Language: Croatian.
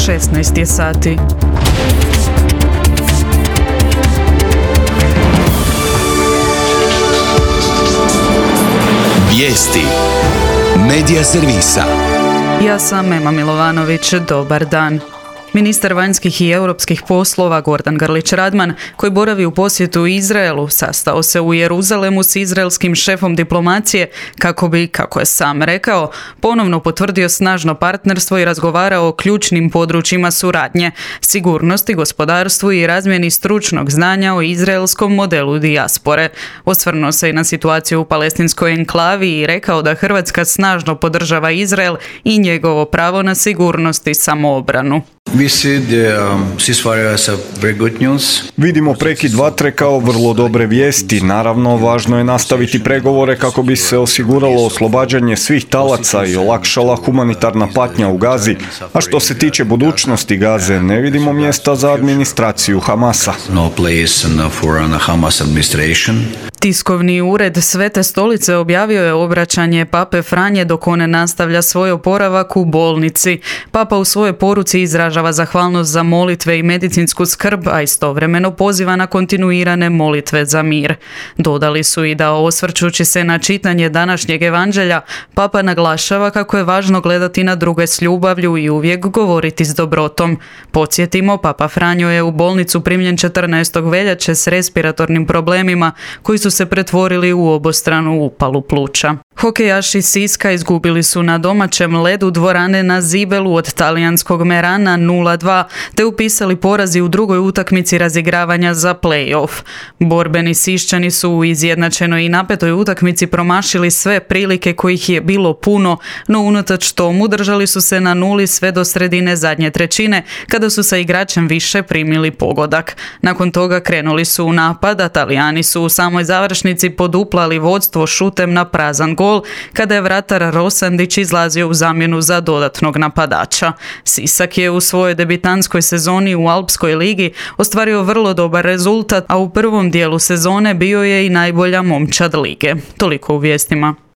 16 je sati. Vijesti Medija servisa. Ja sam Ema Milovanović, dobar dan. Ministar vanjskih i europskih poslova Gordan Grlić Radman, koji boravi u posjetu Izraelu, sastao se u Jeruzalemu s izraelskim šefom diplomacije kako bi, kako je sam rekao, ponovno potvrdio snažno partnerstvo i razgovarao o ključnim područjima suradnje, sigurnosti, gospodarstvu i razmjeni stručnog znanja o izraelskom modelu dijaspore. Osvrnuo se i na situaciju u palestinskoj enklavi i rekao da Hrvatska snažno podržava Izrael i njegovo pravo na sigurnost i samoobranu. Vidimo prekid vatre kao vrlo dobre vijesti. Naravno, važno je nastaviti pregovore kako bi se osiguralo oslobađanje svih talaca i olakšala humanitarna patnja u Gazi. A što se tiče budućnosti Gaze, ne vidimo mjesta za administraciju Hamasa. Tiskovni ured Svete stolice objavio je obraćanje Pape Franje dok on nastavlja svoj oporavak u bolnici. Papa u svojoj poruci izražava zahvalnost za molitve i medicinsku skrb, a istovremeno poziva na kontinuirane molitve za mir. Dodali su i da, osvrćući se na čitanje današnjeg evanđelja, Papa naglašava kako je važno gledati na druge s ljubavlju i uvijek govoriti s dobrotom. Podsjetimo, Papa Franjo je u bolnicu primljen 14. veljače s respiratornim problemima koji su se pretvorili u obostranu upalu pluća. Hokejaši Siska izgubili su na domaćem ledu dvorane na Zibelu od talijanskog Merana 0-2, te upisali porazi u drugoj utakmici razigravanja za play-off. Borbeni Siščani su u izjednačenoj i napetoj utakmici promašili sve prilike kojih je bilo puno, no unatoč tomu držali su se na nuli sve do sredine zadnje trećine, kada su sa igračem više primili pogodak. Nakon toga krenuli su u napad, a Talijani su u samoj završnici poduplali vodstvo šutem na prazan gol, kada je vratar Rosandić izlazio u zamjenu za dodatnog napadača. Sisak je u svojoj debitanskoj sezoni u Alpskoj ligi ostvario vrlo dobar rezultat, a u prvom dijelu sezone bio je i najbolja momčad lige. Toliko u vijestima.